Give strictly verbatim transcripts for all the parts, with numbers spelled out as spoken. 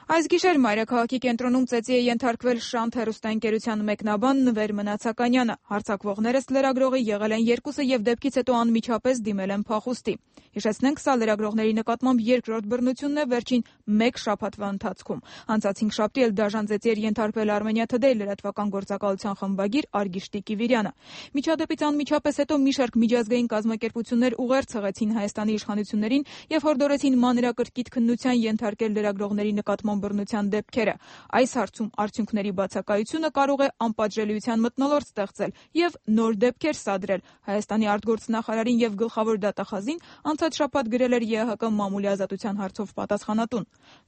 Այս գիշեր Մայրաքաղաքի կենտրոնում ծեծի է ենթարկվել Շանթ հեռուստաընկերության մեկնաբան Նվեր Մնացականյանը։ Հարձակվողներս լրագրողի եղել են երկուսը եւ դեպքից հետո անմիջապես դիմել են փախուստի։ Հիշեցնենք, սա լրագրողների նկատմամբ երկրորդ բռնությունն է վերջին մեկ շաբաթվա ընթացքում։ Անցած հինգշաբթի էլ դաժան ծեծի էր ենթարկվել Armenia Today լրատվական գործակալության խմբագիր Արգիշտի Կիվիրյանը։ Միջադեպից անմիջապես հետո մի շարք միջազգային կազմակերպություններ ուղերձ հղեցին Հայաստանի իշխանություններին եւ հորդորեցին մանրակրկիտ քննության ենթարկել լրագրողների նկատմամբ բռնության դեպքերը։ Այս հարցում արդյունքների բացակայությունը կարող է անպատժելիության մթնոլորտ ստեղծել եւ նոր դեպքեր սադրել։ Հայաստանի արտգործնախարարին եւ գլխավոր դատախազին անցած շաբաթ գրել էր ԵԱՀԿ մամուլի ազատության հարցով պատասխանատուն։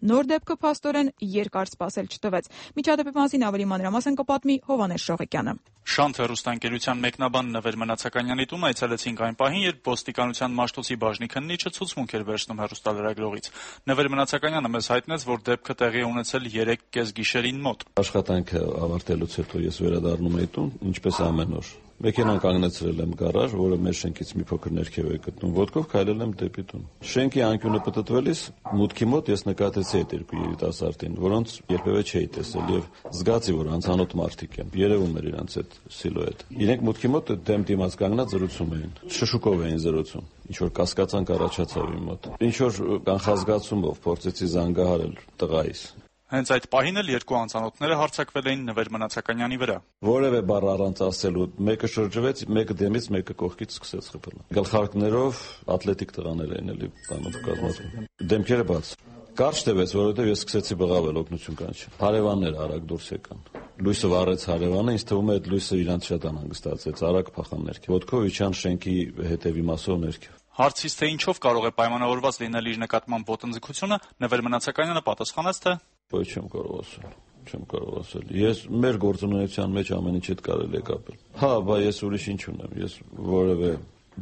Նոր դեպքը փաստորեն երկար սպասել չտվեց։ Միջադեպի մասին ավելի մանրամասն կպատմի Հովհաննես Շողիկյանը։ Շանթ հեռուստաընկերության մեկնաբան Նվեր Մնացականյանի տուն այցելեցինք այն պահին, երբ ոստիկանության մաշտոցի բաժնի քննիչը ցուցմունք էր վերցնում հեռուստալրագրողից։ Նվեր Մնացականյանը մեզ հայտնեց, որ դեպքը տեղի է ունեցել երեք կեսգիշերին մոտ։ Աշխատանքը ավարտելուց հետո ես վերադառնում էի տուն, ինչպես ամեն օր։ Մեքենան կանգնեցրել եմ գարաժ, որը մեր շենքից մի փոքր ներքև է գտնվում, ոտքով քայլել եմ դեպի տուն։ Շենքի անկյունը պտտվելիս մուտքի մոտ ես նկատեցի այդ երկու երիտասարդին, որոնց երբևէ չէի տեսել եւ զգացի, որ անծանոթ մարդիկ են։ Երևում էր իրանց այդ սիլուետ։ Իրենք մուտքի մոտ դեմ դիմաց կանգնած զրուցում էին։ Շշուկով էին զրուցում։ Ինչ որ կասկածանք առաջացավ իմ մոտ։ Ինչ որ կանխազգացումով փորձեցի զանգահարել տղայիս։ Հենց այդ պահին էլ երկու անծանոթները հարձակվել էին Նվեր Մնացականյանի վրա։ Որևէ բառ առանց ասելու, մեկը շրջվեց, մեկը դեմից, մեկը կողքից սկսեց խփել։ Գլխարկներով ատլետիկ տղաներ էին էլի բանով կազմած։ Դեմքերը բաց։ Կարճ տևեց, որովհետև ես սկսեցի բղավել օգնություն կանչել։ Հարևանները արագ դուրս եկան։ Լույսը վառեց հարևանը, ինձ թվում է այդ լույսը իրանց շատ անհանգստացեց, արագ փախան ներքև։ Ոտքով իջան շենքի հետևի մասով ներքև։ Հարցից թե ինչով կարող է պայմանավորված լինել իր նկատմամբ ոտնձգությունը, Նվեր Մնացականյանը պատասխանեց, թե ոչ չեմ կարող ասել, չեմ կարող ասել։ Ես մեր գործունեության մեջ ամեն ինչ հետ կարելի է կապել։ Հա, բա ես ուրիշ ինչ ունեմ, ես որևէ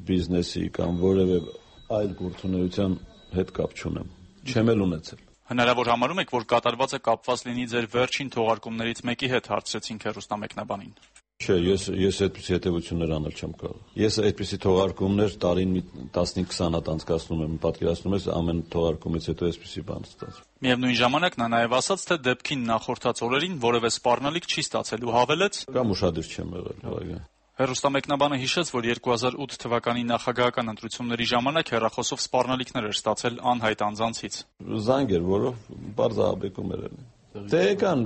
բիզնեսի կամ որևէ այլ գործունեության հետ կապ չունեմ, չեմ էլ ունեցել։ Հնարավոր համարում եք, որ կատարվածը կապված լինի ձեր վերջին թողարկումներից մեկի հետ, հարցրեցինք հեռուստամեկնաբանին։ Չէ, ես ես այդպիսի հետևություններ անել չեմ կարող։ Ես այդպիսի թողարկումներ տարին տասնհինգ քսան հատ անցկացնում եմ, պատկերացնում ես ամեն թողարկումից հետո այսպիսի բան ստացվում։ Միևնույն ժամանակ նա նաև ասաց, թե դեպքին նախորդած օրերին որևէ սպառնալիք չի ստացել ու հավելեց. Կամ ուշադիր չեմ եղել։ Հեռուստամեկնաբանը հիշեց, որ երկու հազար ութ թվականի նախագահական ընտրությունների ժամանակ հեռախոսով սպառնալիքներ էր ստացել անհայտ անձանցից։ Զանգ էր, որով բարձ ահաբեկում էր ելել։ Դե եկան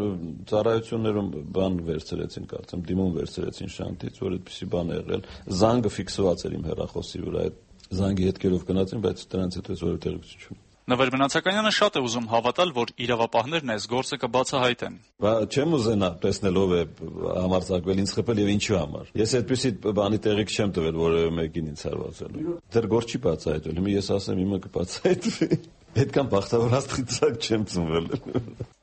ծառայություններում բան վերցրեցին, կարծեմ, դիմում վերցրեցին Շանթից, որ այդպիսի բան է եղել։ Զանգը ֆիքսված էր իմ հեռախոսի վրա, այդ զանգի հետքերով գնացին, բայց դրանից հետո ես որևէ տեղեկություն չունեմ։ Նվեր Մնացականյանը շատ է ուզում հավատալ, որ իրավապահներն այս գործը կբացահայտեն։ Բա չեմ ուզենա տեսնել ով է համարձակվել ինձ խփել եւ ինչու համար։ Ես այդպիսի բանի տեղիք չեմ տվել որևէ մեկին ինձ հարվածելու։ Դեռ գործ չի բացահայտվել։ Հիմա ես ասեմ իմը կբացահայտվի։ Այդքան բախտավոր աստղից չեմ ծնվել։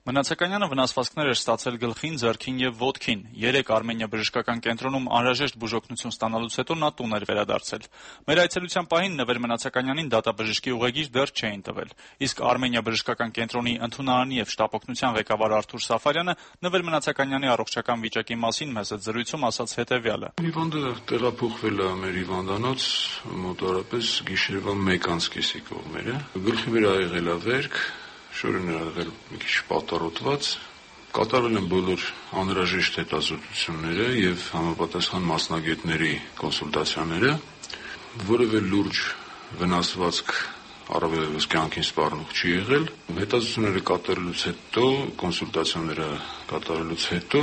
Մնացականյանը վնասվածքներ էր ստացել գլխին, ձեռքին եւ ոտքին։ Երեք Արմենիա բժշկական կենտրոնում անհրաժեշտ բուժօգնություն ստանալուց հետո նա տուն էր վերադարձել։ Մեր այցելության պահին Նվեր Մնացականյանին դատաբժշկի ուղեգիր դեռ չէին տվել։ Իսկ Արմենիա բժշկական կենտրոնի ընդունարանի եւ շտապօգնության ղեկավար Արթուր Սաֆարյանը Նվեր Մնացականյանի առողջական վիճակի մասին մեծ զրույցում ասաց հետեւյալը. Հիվանդը տեղափոխվել է մեր հիվանդանոց մոտավորապես գիշերվա մեկ անց կեսի կողմերը։ Գլխի վրա եղել է վերք, շորեն է եղել մի քիչ պատառոտված, կատարել են բոլոր անհրաժեշտ հետազոտությունները եւ համապատասխան մասնագետների կոնսուլտացիաները, որևէ լուրջ վնասվածք առավելևս կյանքին սպառնող չի եղել։ Հետազոտությունները կատարելուց հետո, կոնսուլտացիաները կատարելուց հետո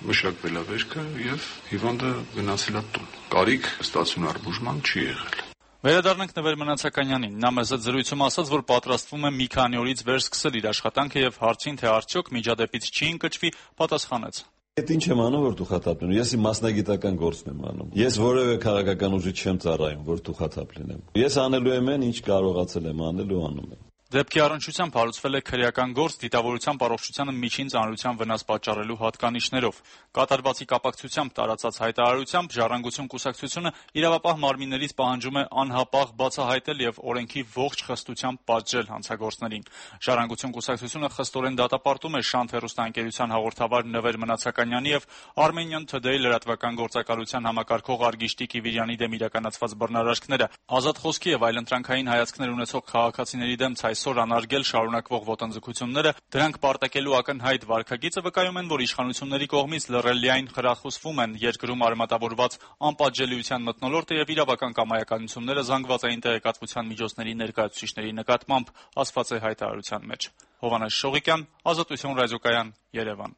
մշակվել է վերքը եւ հիվանդը գնացել է տուն։ Կարիք ստացիոնար բուժման չի եղել։ Վերադառնանք Նվեր Մնացականյանին։ Նա մեծ զրույցում ասաց, որ պատրաստվում է մի քանի օրից վեր սկսել իր աշխատանքը եւ հարցին, թե արդյոք միջադեպից չի ընկճվի, պատասխանեց. Այդ ինչ եմ անում, որ դուխաթափ լինեմ։ Ես իմ մասնագիտական գործն եմ անում։ Ես որևէ քաղաքական ուժի չեմ ծառայում, որ դուխաթափ լինեմ։ Ես անելու եմ այն, ինչ կարողացել եմ անել ու անում եմ։ Դեպքի առնչությամբ հարուցվել է քրեական գործ դիտավորությամբ առողջությանը միջին ծանրության վնաս պատճառելու հատկանիշներով։ Կատարվածի կապակցությամբ տարածած հայտարարությամբ Ժառանգություն կուսակցությունը իրավապահ մարմիններից պահանջում է անհապաղ բացահայտել եւ օրենքի ողջ խստությամբ պատժել հանցագործներին։ Ժառանգություն կուսակցությունը խստորեն դատապարտում է Շանթ հեռուստաընկերության հաղորդավար Նվեր Մնացականյանի եւ Armenian Today լրատվական գործակալության համակարգող Արգիշտի Կիվիրյանի դեմ իրականացված բռնարարքները։ Ազատ խոսքի եւ այլընտրանքային հայացքներ ունեցող քաղաքացիների դեմ ցայսօր այսօր անարգել շարունակվող ոտնձգությունները, դրանք պարտակելու ակնհայտ վարքագիծը վկայում են, որ իշխանությունների կողմից լռելիայն խրախուսվում են երկրում արմատավորված անպատժելիության մթնոլորտը եւ իրավական կամայականությունները զանգվածային տեղեկատվության միջոցների ներկայացուցիչների նկատմամբ, ասված է հայտարարության մեջ։ Հովհաննես Շողիկյան, Ազատություն ռադիոկայան, Երևան։